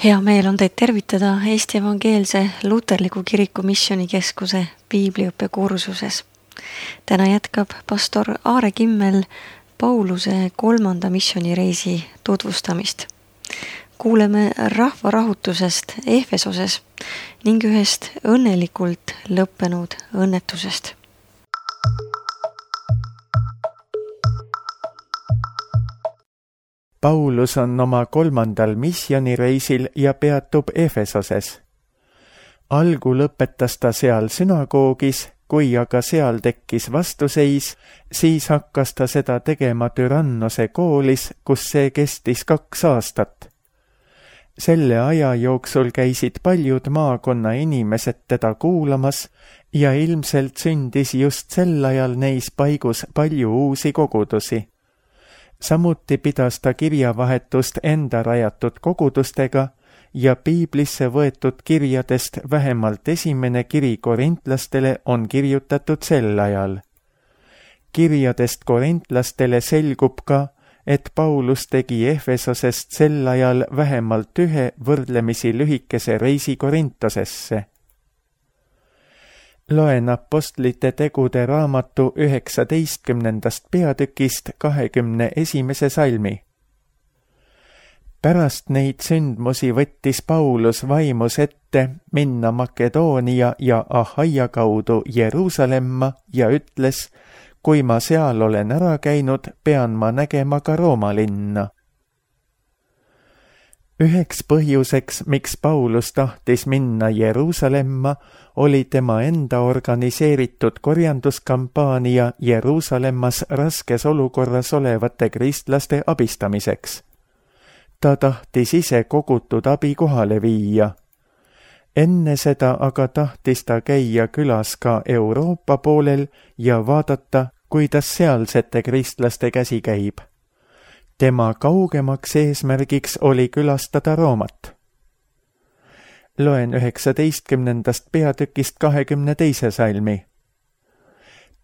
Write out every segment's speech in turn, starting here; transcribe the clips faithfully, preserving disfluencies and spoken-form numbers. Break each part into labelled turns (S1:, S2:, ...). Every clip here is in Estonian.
S1: Hea meel on teid tervitada Eesti Evangeelse Luterliku Kiriku Missioonikeskuse piibliõppe kursuses. Täna jätkab pastor Aare Kimmel Pauluse kolmanda missioonireisi tutvustamist. Kuuleme rahvarahutusest Efesoses ning ühest õnnelikult lõppenud õnnetusest.
S2: Paulus on oma kolmandal missioonireisil ja peatub Efesoses. Algu lõpetas ta seal sünagoogis, kui aga seal tekkis vastuseis, siis hakkas ta seda tegema Tyrannose koolis, kus see kestis kaks aastat. Selle aja jooksul käisid paljud maakonna inimesed teda kuulamas ja ilmselt sündis just sel ajal neis paigus palju uusi kogudusi. Samuti pidas ta kirjavahetust enda rajatud kogudustega ja piiblisse võetud kirjadest vähemalt esimene kiri korintlastele on kirjutatud sel ajal. Kirjadest korintlastele selgub ka, et Paulus tegi Efesosest sel ajal vähemalt ühe võrdlemisi lühikese reisi Korintosesse. Loen apostlite tegude raamatu üheksateistkümnendast peatükist kahekümne esimese salmi. Pärast neid sündmusi võttis Paulus vaimus ette minna Makedoonia ja Ahaia kaudu Jeruusalemma ja ütles, kui ma seal olen ära käinud, pean ma nägema ka Rooma linna. Üheks põhjuseks, miks Paulus tahtis minna Jeruusalemma, oli tema enda organiseeritud korjanduskampaania Jeruusalemmas raskes olukorras olevate kristlaste abistamiseks. Ta tahtis ise kogutud abi kohale viia. Enne seda aga tahtis ta käia külas ka Euroopa poolel ja vaadata, kuidas sealsete kristlaste käsi käib. Tema kaugemaks eesmärgiks oli külastada Roomat. Loen üheksateistkümnendast peatükist kahekümne teise salmi.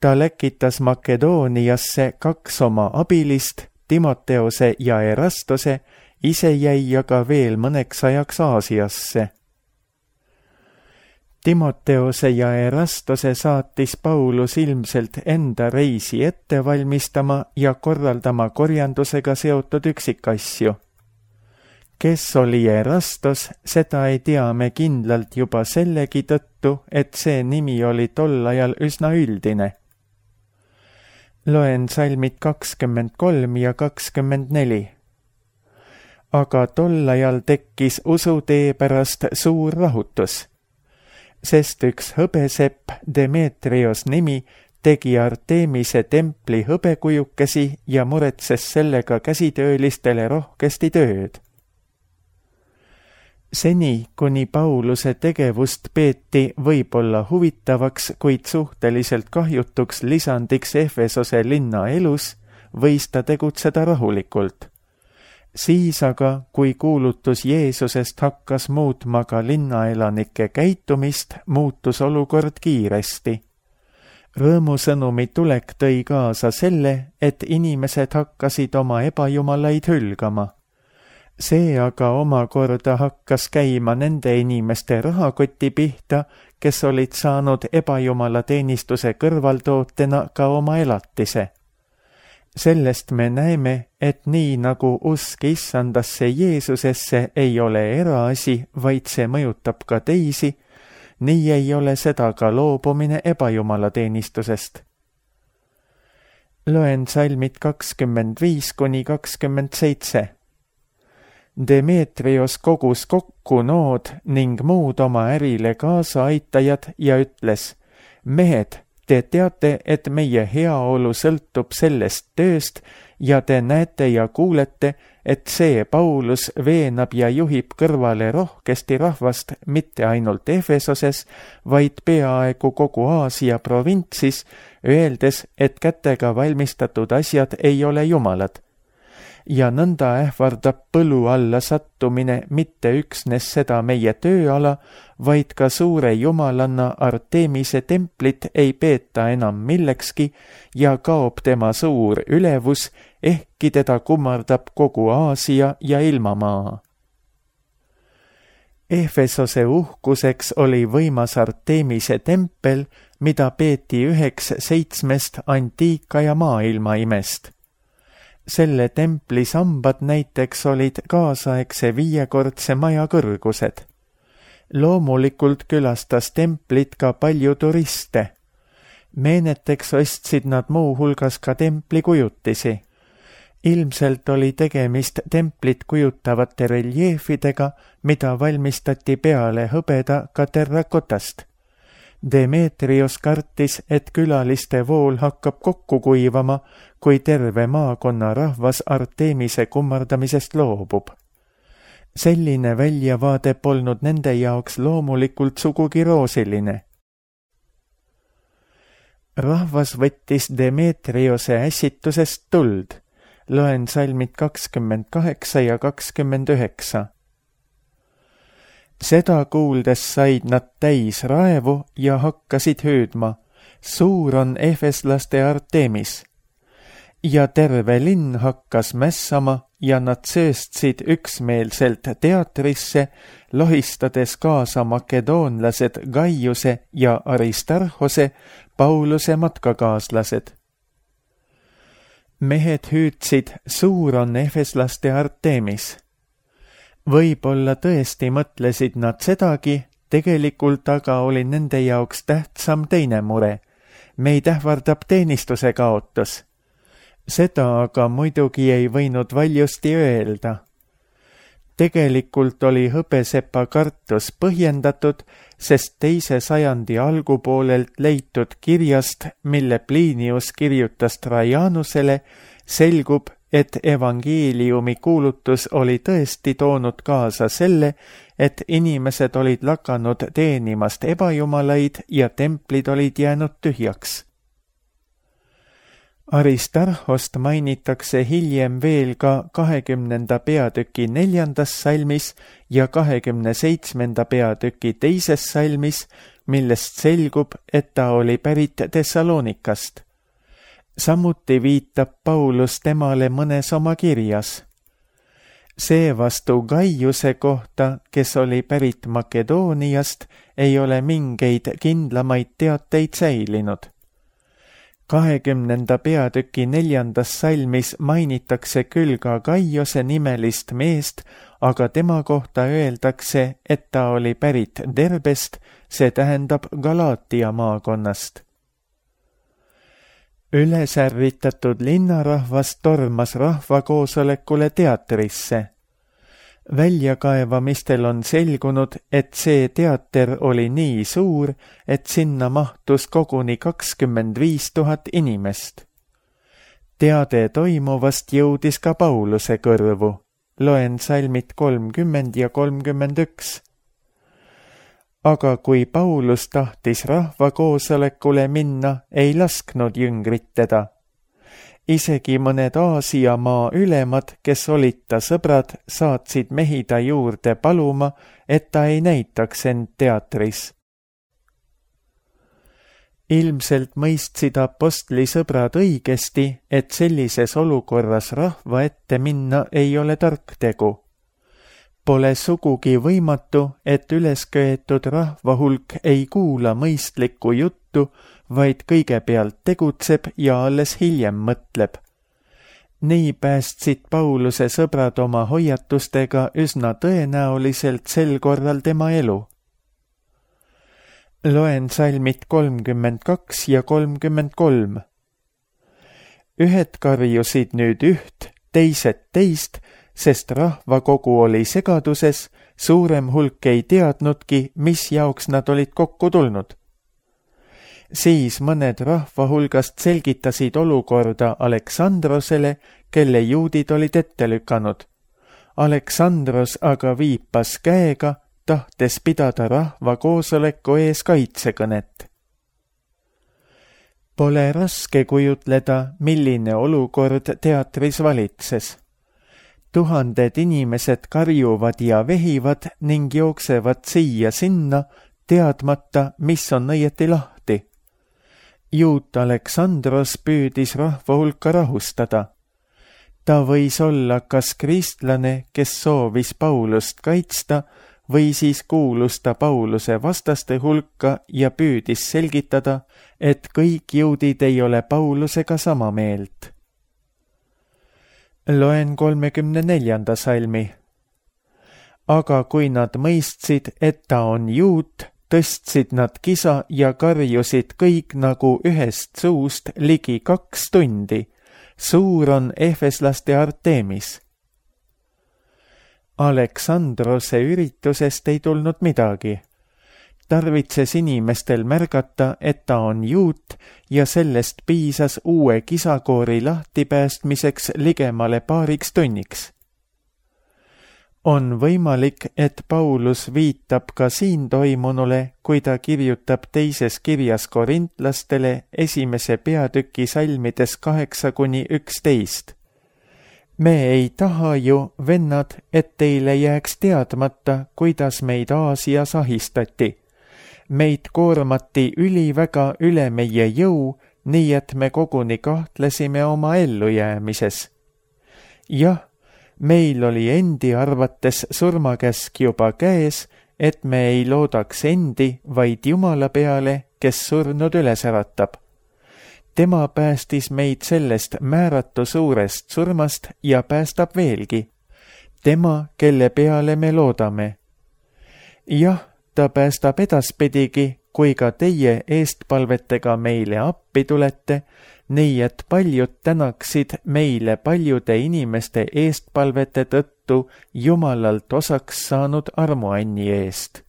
S2: Ta läkitas Makedooniasse kaks oma abilist, Timoteose ja Erastose, ise jäi aga veel mõneks ajaks Aasiasse. Timoteose ja Erastose saatis Paulus ilmselt enda reisi ette valmistama ja korraldama korjandusega seotud üksikasju. Kes oli Erastos, seda ei tea me kindlalt juba sellegi tõttu, et see nimi oli tol ajal üsna üldine. Loen salmid kakskümmend kolm ja kakskümmend neli. Aga tol ajal tekkis usutee pärast suur rahutus, sest üks hõbesepp, Demetrios nimi, tegi Artemise templi hõbekujukesi ja muretses sellega käsitöölistele rohkesti tööd. Seni, kuni Pauluse tegevust peeti võib-olla huvitavaks, kuid suhteliselt kahjutuks lisandiks Efesose linna elus, võis ta tegutseda rahulikult. Siis aga, kui kuulutus Jeesusest hakkas muutma ka linnaelanike käitumist, muutus olukord kiiresti. Rõõmusõnumi tulek tõi kaasa selle, et inimesed hakkasid oma ebajumalaid hülgama. See aga omakorda hakkas käima nende inimeste rahakoti pihta, kes olid saanud ebajumala teenistuse kõrvaltootena ka oma elatise. Sellest me näeme, et nii nagu usk issandasse Jeesusesse ei ole eraasi, vaid see mõjutab ka teisi, nii ei ole seda ka loobumine ebajumala teenistusest. Loen salmid kakskümmend viis kuni kakskümmend seitse. Demetrios kogus kokku nood ning muud oma ärile kaasaaitajad ja ütles, mehed, te teate, et meie heaolu sõltub sellest tööst ja te näete ja kuulete, et see Paulus veenab ja juhib kõrvale rohkesti rahvast mitte ainult Efesoses, vaid peaaegu kogu Aasia provintsis, öeldes, et kätega valmistatud asjad ei ole jumalad. Ja nõnda ähvardab põlu alla sattumine mitte üksnes seda meie tööala, vaid ka suure jumalanna Artemise templit ei peeta enam millekski ja kaob tema suur ülevus, ehkki teda kummardab kogu Aasia ja ilmamaa. Efesose uhkuseks oli võimas Artemise tempel, mida peeti üheks seitsmest antiika ja maailma imest. Selle templi sambad näiteks olid kaasaegse viiekordse maja kõrgused. Loomulikult külastas templit ka palju turiste. Meeneteks ostsid nad muu hulgas ka templi kujutisi. Ilmselt oli tegemist templit kujutavate reljeefidega, mida valmistati peale hõbeda ka terrakotast. Demetrios kartis, et külaliste vool hakkab kokku kuivama, kui terve maakonna rahvas Artemise kummardamisest loobub. Selline väljavaade polnud nende jaoks loomulikult sugugi roosiline. Rahvas võttis Demetriose ässitusest tuld. Loen salmid kakskümmend kaheksa ja kakskümmend üheksa. Seda kuuldes said nad täis raevu ja hakkasid hüüdma: suur on efeslaste Artemis. Ja terve linn hakkas mässama ja nad sööstsid üksmeelselt teatrisse, lohistades kaasa makedoonlased Gaiuse ja Aristarhose, Pauluse matkakaaslased. Mehed hüüdsid: suur on efeslaste Artemis. Võib-olla tõesti mõtlesid nad sedagi, tegelikult aga oli nende jaoks tähtsam teine mure. Meid ähvardab teenistuse kaotus. Seda aga muidugi ei võinud valjusti öelda. Tegelikult oli hõbesepa kartus põhjendatud, sest teise sajandi algupoolelt leitud kirjast, mille Plinius kirjutas Trajanusele, selgub, et evangeeliumi kuulutus oli tõesti toonud kaasa selle, et inimesed olid lakanud teenimast ebajumalaid ja templid olid jäänud tühjaks. Aristarhost mainitakse hiljem veel ka kahekümnenda peatüki neljandas salmis ja kahekümne seitsmenda peatüki teises salmis, millest selgub, et ta oli pärit Thessalonikast. Samuti viitab Paulus temale mõnes oma kirjas. Seevastu Gaiuse kohta, kes oli pärit Makedooniast, ei ole mingeid kindlamaid teateid säilinud. kahekümnenda peatüki neljandas salmis mainitakse küll ka Gaiuse nimelist meest, aga tema kohta öeldakse, et ta oli pärit Derbest, see tähendab Galaatia maakonnast. Ülesärvitatud linnarahvas tormas rahvakoosolekule teatrisse. Väljakaevamistel on selgunud, et see teater oli nii suur, et sinna mahtus koguni kakskümmend viis tuhat inimest. Teade toimuvast jõudis ka Pauluse kõrvu. Loen salmid kolmkümmend ja kolmkümmend üks. Aga kui Paulus tahtis rahvakoosolekule minna, ei lasknud jüngrid teda. Isegi mõned Aasia maa ülemad, kes olid ta sõbrad, saatsid mehi ta juurde paluma, et ta ei näitaks end teatris. Ilmselt mõistsid apostli sõbrad õigesti, et sellises olukorras rahva ette minna ei ole tark tegu. Pole sugugi võimatu, et ülesköetud rahva hulk ei kuula mõistlikku juttu, vaid kõigepealt tegutseb ja alles hiljem mõtleb. Nii päästsid Pauluse sõbrad oma hoiatustega üsna tõenäoliselt sel korral tema elu. Loen salmid kolmkümmend kaks ja kolmkümmend kolm. Ühed karjusid nüüd üht, teised teist, sest rahvakogu oli segaduses, suurem hulk ei teadnudki, mis jaoks nad olid kokku tulnud. Siis mõned rahva hulgast selgitasid olukorda Aleksandrosele, kelle juudid olid ette lükanud. Aleksandros aga viipas käega, tahtes pidada rahva koosoleku ees kaitsekõnet. Pole raske kujutleda, milline olukord teatris valitses. Tuhanded inimesed karjuvad ja vehivad ning jooksevad siia-sinna, teadmata, mis on õieti lahti. Juut Aleksandros püüdis rahva hulka rahustada. Ta võis olla kas kristlane, kes soovis Paulust kaitsta, või siis kuulus ta Pauluse vastaste hulka ja püüdis selgitada, et kõik juudid ei ole Paulusega sama meelt. Loen kolmekümne neljanda salmi. Aga kui nad mõistsid, et ta on juut, tõstsid nad kisa ja karjusid kõik nagu ühest suust ligi kaks tundi. Suur on efeslaste Artemis. Aleksandrose üritusest ei tulnud midagi. Tarvitses inimestel märgata, et ta on juut ja sellest piisas uue kisakoori lahtipäästmiseks ligemale paariks tunniks. On võimalik, et Paulus viitab ka siin toimunule, kui ta kirjutab teises kirjas korintlastele esimese peatüki salmides kaheksa kuni üksteist. Me ei taha ju, vennad, et teile jääks teadmata, kuidas meid Aasias ahistati. Meid koormati üliväga üle meie jõu, nii et me koguni kahtlesime oma ellujäämises. Jah, meil oli endi arvates surmakäsk juba käes, et me ei loodaks endi, vaid Jumala peale, kes surnud üles äratab. Tema päästis meid sellest määratu suurest surmast ja päästab veelgi. Tema, kelle peale me loodame. Jah, ta päästab edaspidigi, kui ka teie eestpalvetega meile appi tulete, nii et paljud tänaksid meile paljude inimeste eestpalvete tõttu Jumalalt osaks saanud armuanni eest.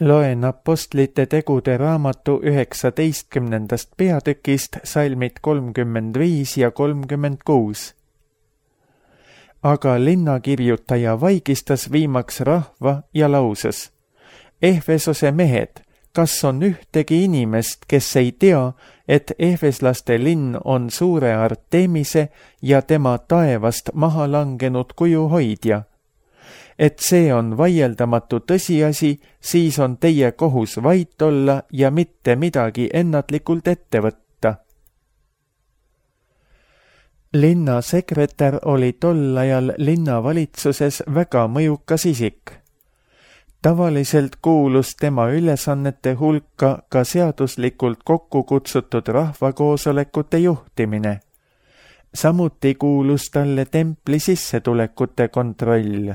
S2: Loen Apostlite tegude raamatu üheksateistkümnendast peatükist salmid kolmkümmend viis ja kolmkümmend kuus. Aga linnakirjutaja vaigistas viimaks rahva ja lauses: Efesose mehed, kas on ühtegi inimest, kes ei tea, et efeslaste linn on suure Artemise ja tema taevast maha langenud kuju hoidja? Et see on vaieldamatu tõsiasi, siis on teie kohus vait olla ja mitte midagi ennatlikult ette võtta. Linnasekretär oli tol ajal linnavalitsuses väga mõjukas isik. Tavaliselt kuulus tema ülesannete hulka ka seaduslikult kokku kutsutud rahvakoosolekute juhtimine. Samuti kuulus talle templi sissetulekute kontroll.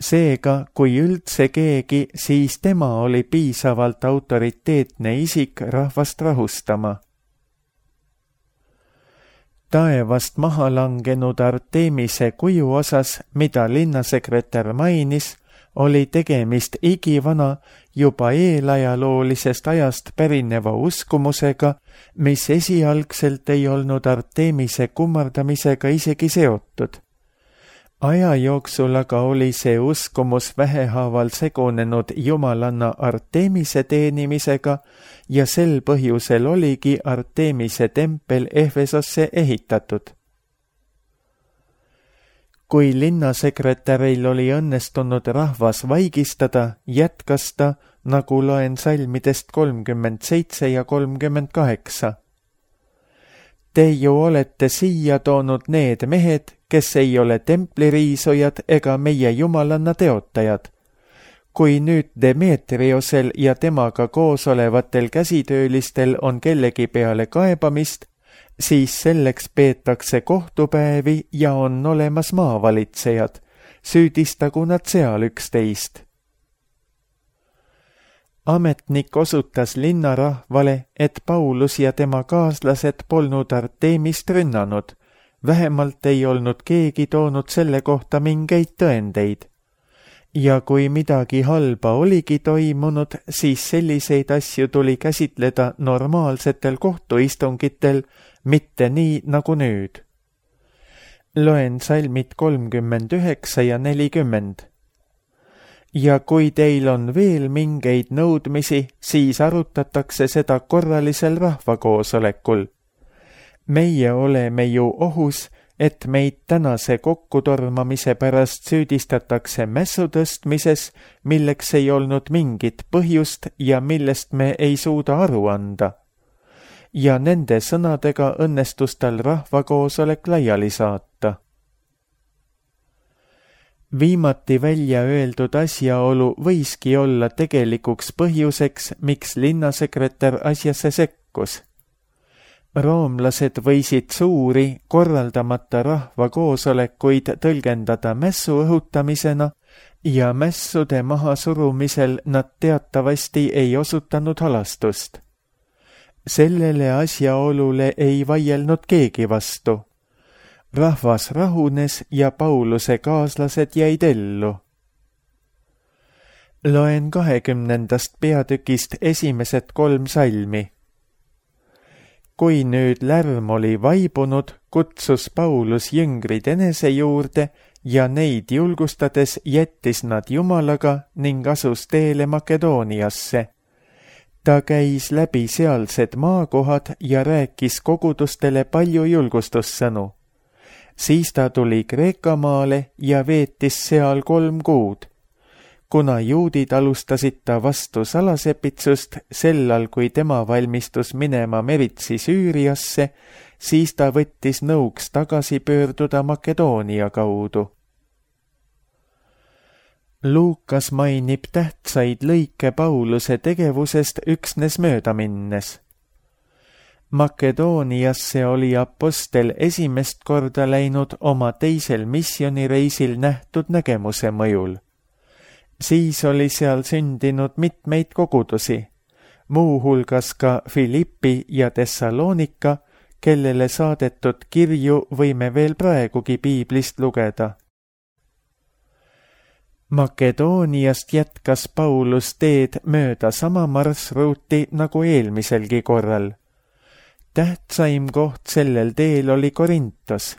S2: Seega, kui üldse keegi, siis tema oli piisavalt autoriteetne isik rahvast rahustama. Taevast maha langenud Artemise kuju osas, mida linnasekretär mainis, oli tegemist igivana juba eelajaloolisest ajast pärineva uskumusega, mis esialgselt ei olnud Artemise kummardamisega isegi seotud. Aja jooksul aga oli see uskumus vähehaaval segunenud jumalanna Artemise teenimisega ja sel põhjusel oligi Artemise tempel Efesosse ehitatud. Kui linnasekretäril oli õnnestunud rahvas vaigistada, jätkas ta, nagu loen salmidest kolmkümmend seitse ja kolmkümmend kaheksa. Te ju olete siia toonud need mehed, kes ei ole templiriisujad ega meie jumalanna teotajad. Kui nüüd Demetriosel ja temaga koos olevatel käsitöölistel on kellegi peale kaebamist, siis selleks peetakse kohtupäevi ja on olemas maavalitsejad. Süüdistagu nad seal üksteist. Ametnik osutas linnarahvale, et Paulus ja tema kaaslased polnud Artemist rünnanud. Vähemalt ei olnud keegi toonud selle kohta mingeid tõendeid. Ja kui midagi halba oligi toimunud, siis selliseid asju tuli käsitleda normaalsetel kohtuistungitel, mitte nii nagu nüüd. Loen salmid kolmkümmend üheksa ja nelikümmend. Ja kui teil on veel mingeid nõudmisi, siis arutatakse seda korralisel rahvakoosolekul. Meie oleme ju ohus, et meid tänase kokkutormamise pärast süüdistatakse mässu tõstmises, milleks ei olnud mingit põhjust ja millest me ei suuda aru anda. ja nende sõnadega õnnestus tal rahvakoosolek laiali saata. Viimati välja öeldud asjaolu võiski olla tegelikuks põhjuseks, miks linnasekretär asjasse sekkus. Roomlased võisid suuri, korraldamata rahvakoosolekuid tõlgendada mässu õhutamisena ja mässude mahasurumisel nad teatavasti ei osutanud halastust. Sellele asjaolule ei vaielnud keegi vastu. Rahvas rahunes ja Pauluse kaaslased jäid ellu. Loen kahekümnendast peatükist esimesed kolm salmi. Kui nüüd lärm oli vaibunud, kutsus Paulus jüngrid enese juurde ja neid julgustades jättis nad Jumalaga ning asus teele Makedooniasse. Ta käis läbi sealsed maakohad ja rääkis kogudustele palju julgustussõnu. Siis ta tuli Kreeka maale ja veetis seal kolm kuud. Kuna juudid alustasid ta vastu salasepitsust sellal, kui tema valmistus minema meritsi Süüriasse, siis ta võttis nõuks tagasi pöörduda Makedoonia kaudu. Luukas mainib tähtsaid lõike Pauluse tegevusest üksnes mööda minnes. Makedooniasse oli apostel esimest korda läinud oma teisel misjonireisil nähtud nägemuse mõjul. Siis oli seal sündinud mitmeid kogudusi, muuhulgas ka Filippi ja Thessalonika, kellele saadetud kirju võime veel praegugi piiblist lugeda. Makedooniast jätkas Paulus teed mööda sama marsruuti nagu eelmiselgi korral. Tähtsaim koht sellel teel oli Korintos.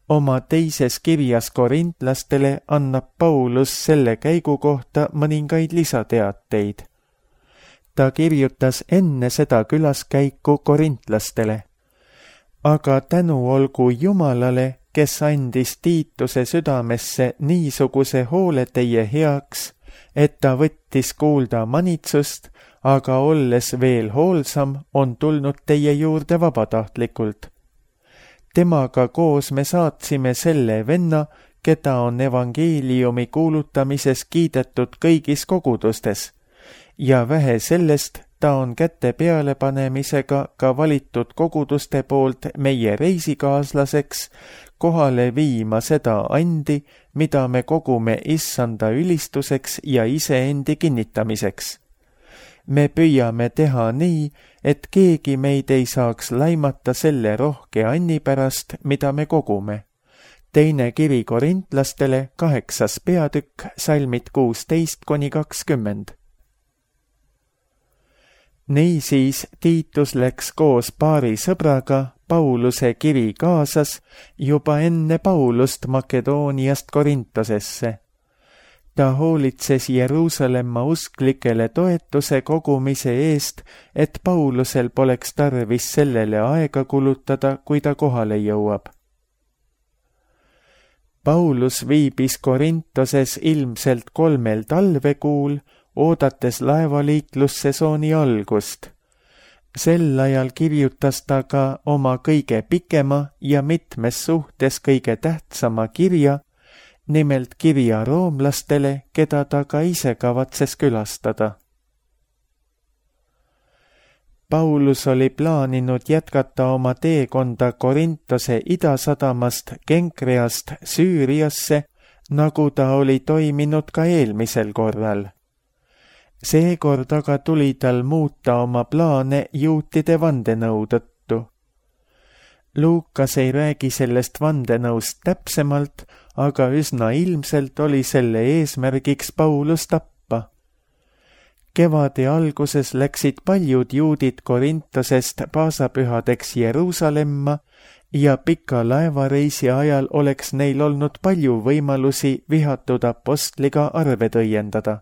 S2: Oma teises kirjas korintlastele annab Paulus selle käigu kohta mõningaid lisateateid. Ta kirjutas enne seda külaskäiku korintlastele. Aga tänu olgu Jumalale, kes andis Tiituse südamesse niisuguse hoole teie heaks, et ta võttis kuulda manitsust, aga olles veel hoolsam, on tulnud teie juurde vabatahtlikult. Temaga koos me saatsime selle venna, keda on evangeeliumi kuulutamises kiidetud kõigis kogudustes, ja vähe sellest, ta on käte pealepanemisega ka valitud koguduste poolt meie reisikaaslaseks, kohale viima seda andi, mida me kogume issanda ülistuseks ja iseendi kinnitamiseks. Me püüame teha nii, et keegi meid ei saaks laimata selle rohke anni pärast, mida me kogume. Teine kiri korintlastele, kaheksas peatükk, salmid kuusteist kuni kakskümmend. Niisiis Tiitus läks koos paari sõbraga Pauluse kiri kaasas juba enne Paulust Makedooniast Korintosesse. Ta hoolitses Jeruusalemma usklikele toetuse kogumise eest, et Paulusel poleks tarvis sellele aega kulutada, kui ta kohale jõuab. Paulus viibis Korintoses ilmselt kolmel talvekuul, oodates laevaliiklussesooni algust. Sel ajal kirjutas ta ka oma kõige pikema ja mitmes suhtes kõige tähtsama kirja, nimelt kirja roomlastele, keda ta ka ise kavatses külastada. Paulus oli plaaninud jätkata oma teekonda Korintose idasadamast Kenkreast Süüriasse, nagu ta oli toiminud ka eelmisel korral. Seekord aga tuli tal muuta oma plaane juutide vandenõu tõttu. Luukas ei räägi sellest vandenõust täpsemalt, aga üsna ilmselt oli selle eesmärgiks Paulus tappa. Kevade alguses läksid paljud juudid Korintosest paasapühadeks Jeruusalemma ja pika laevareisi ajal oleks neil olnud palju võimalusi vihatud apostliga arved õiendada.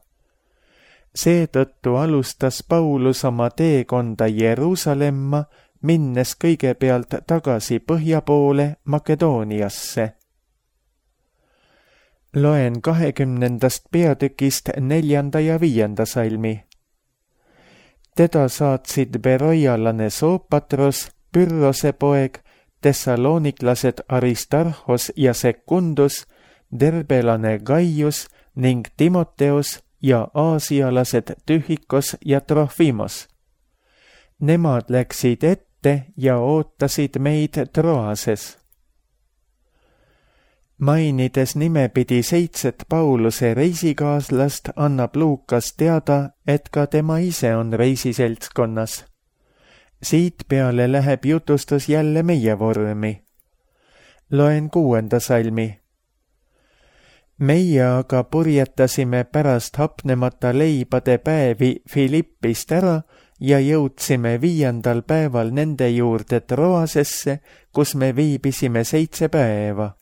S2: Seetõttu alustas Paulus oma teekonda Jeruusalemma, minnes kõigepealt tagasi põhja poole Makedooniasse. Loen kahekümnendast peatükist neljanda ja viienda salmi. Teda saatsid beroialane Soopatros, Pyrrose poeg, tessaloniklased Aristarhos ja Secundus, derbelane Gaius ning Timoteus ja aasialased Tühikos ja Trofimos. Nemad läksid ette ja ootasid meid Troases. Mainides nimepidi seitset Pauluse reisikaaslast, annab Luukas teada, et ka tema ise on reisiseltskonnas. Siit peale läheb jutustus jälle meie vormi. Loen kuuenda salmi. Meie aga purjetasime pärast hapnemata leibade päevi Filippist ära ja jõudsime viiendal päeval nende juurde Troasesse, kus me viibisime seitse päeva.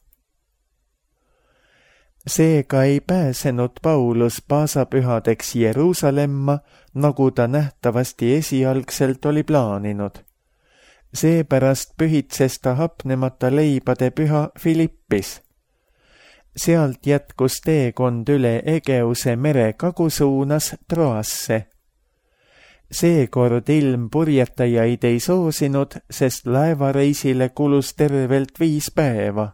S2: Seega ei pääsenud Paulus paasapühadeks Jeruusalemma, nagu ta nähtavasti esialgselt oli plaaninud. Seepärast pühitses ta hapnemata leibade püha Filippis. Sealt jätkus teekond üle Egeuse mere kagusuunas Troasse. Seekord ilm purjetajaid ei soosinud, sest laevareisile kulus tervelt viis päeva.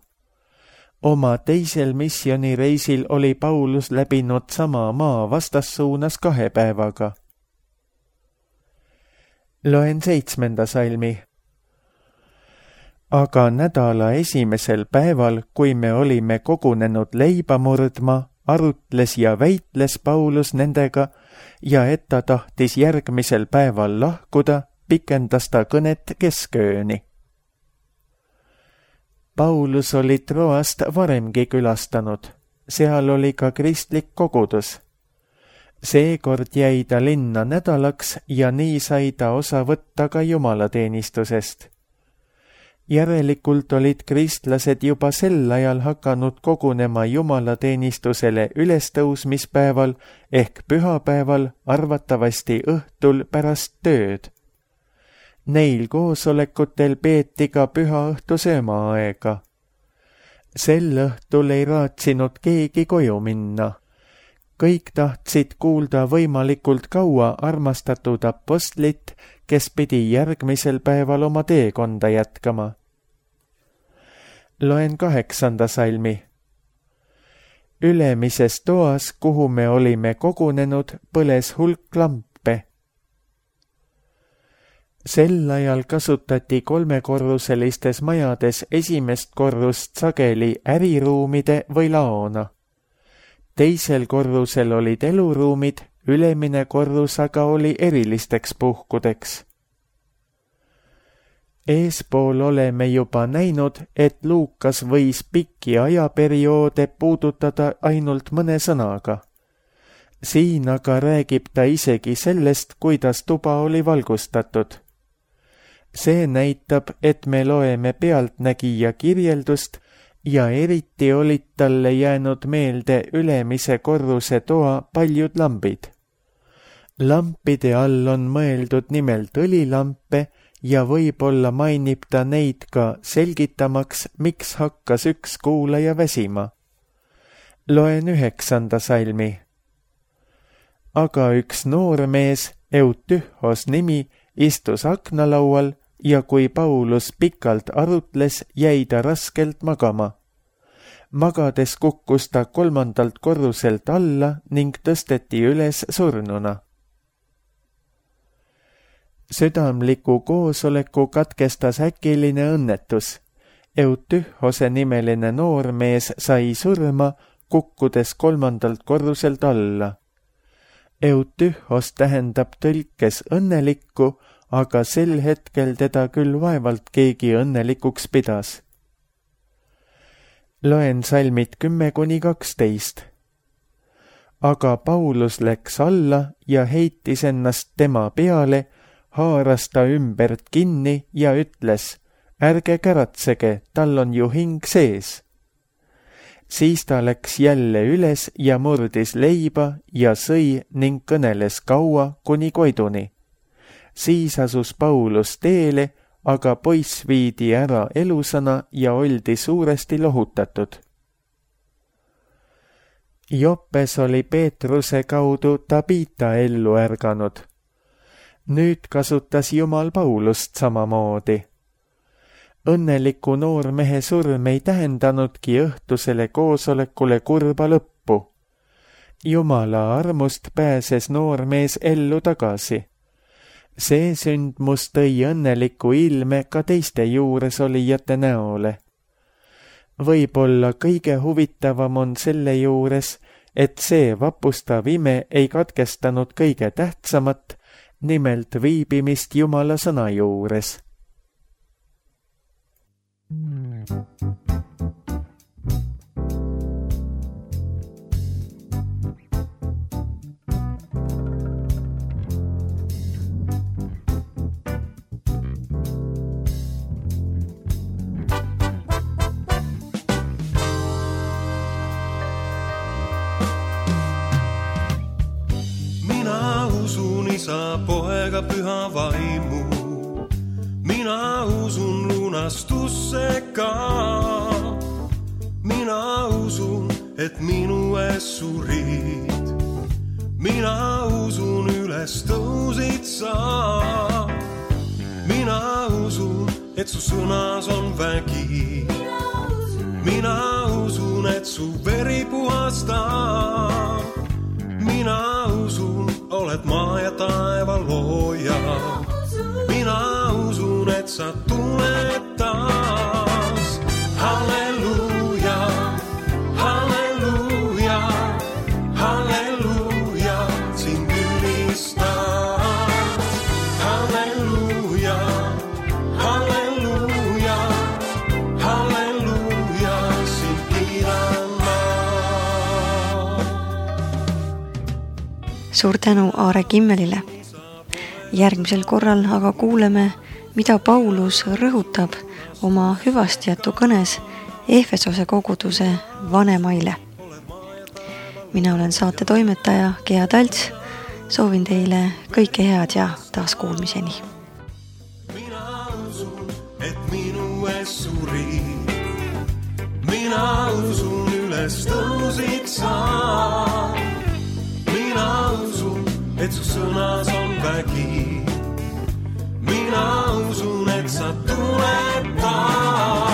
S2: Oma teisel missioonireisil oli Paulus läbinud sama maa vastassuunas kahe päevaga. Loen seitsmenda salmi. Aga nädala esimesel päeval, kui me olime kogunenud leiba murdma, arutles ja väitles Paulus nendega ja et ta tahtis järgmisel päeval lahkuda, pikendas ta kõnet keskööni. Paulus oli Troast varemgi külastanud, seal oli ka kristlik kogudus. Seekord jäi ta linna nädalaks ja nii sai ta osa võtta ka jumalateenistusest. Järelikult olid kristlased juba sel ajal hakanud kogunema jumalateenistusele ülestõusmispäeval ehk pühapäeval, arvatavasti õhtul pärast tööd. Neil koosolekutel peeti ka pühaõhtu söömaaega. Sel õhtul ei raatsinud keegi koju minna. Kõik tahtsid kuulda võimalikult kaua armastatud apostlit, kes pidi järgmisel päeval oma teekonda jätkama. Loen kaheksanda salmi. Ülemises toas, kuhu me olime kogunenud, põles hulk lampe. Sel ajal kasutati kolmekorruselistes majades esimest korrust sageli äriruumide või laona. Teisel korrusel olid eluruumid, ülemine korrus aga oli erilisteks puhkudeks. Eespool oleme juba näinud, et Luukas võis pikki ajaperioode puudutada ainult mõne sõnaga. Siin aga räägib ta isegi sellest, kuidas tuba oli valgustatud. See näitab, et me loeme pealtnägija kirjeldust ja eriti olid talle jäänud meelde ülemise korruse toa paljud lambid. Lampide all on mõeldud nimelt õlilampe ja võib-olla mainib ta neid ka selgitamaks, miks hakkas üks kuulaja väsima. Loen üheksanda salmi. Aga üks noormees, Eutühos nimi, istus aknalaual ja kui Paulus pikalt arutles, jäi ta raskelt magama. Magades kukkus ta kolmandalt korruselt alla ning tõsteti üles surnuna. Südamliku koosoleku katkestas äkiline õnnetus. Eutühose nimeline noormees sai surma, kukkudes kolmandalt korruselt alla. Eutühos tähendab tõlkes õnnelikku, aga sel hetkel teda küll vaevalt keegi õnnelikuks pidas. Loen salmid kümme kuni kaksteist. Aga Paulus läks alla ja heitis ennast tema peale, haaras ta ümbert kinni ja ütles, ärge käratsege, tal on ju hing sees. Siis ta läks jälle üles ja murdis leiba ja sõi ning kõneles kaua kuni Koiduni. Siis asus Paulus teele, aga poiss viidi ära elusana ja oldi suuresti lohutatud. Joppes oli Peetruse kaudu Tabita ellu ärganud. Nüüd kasutas Jumal Paulust samamoodi. Õnneliku noormehe surm ei tähendanudki õhtusele koosolekule kurba lõppu. Jumala armust pääses noormees ellu tagasi. See sündmus tõi õnneliku ilme ka teiste juures olijate näole. Võib-olla kõige huvitavam on selle juures, et see vapustav ime ei katkestanud kõige tähtsamat, nimelt viibimist Jumala sõna juures.
S3: Isa, poega, püha vaimu. Mina usun lunastusse ka. Mina usun, et minu ees surid. Mina usun, üles tõusid sa. Mina usun, et su sõnas on vägi. Mina usun, et su veri puhastab. Mina usun, oled maa ja taeva looja. Mina usun, et sa tuled taas. Halleluuja, halleluuja, halleluuja, sind ülistab. Halleluuja, halleluuja, halleluuja, sind kiidan ma.
S1: Suur tänu Aare Kimmelile. Järgmisel korral aga kuuleme, mida Paulus rõhutab oma hüvastijätu kõnes Efesose koguduse vanemaile. Mina olen saate toimetaja Gea Talts. Soovin teile kõike head ja taas kuulmiseni.
S3: Mina usun, et minu ees surid. Mina usun, üles tõusid sa. Mina usun, et su sõnas on vägi. Mina usun, et sa tuled taas.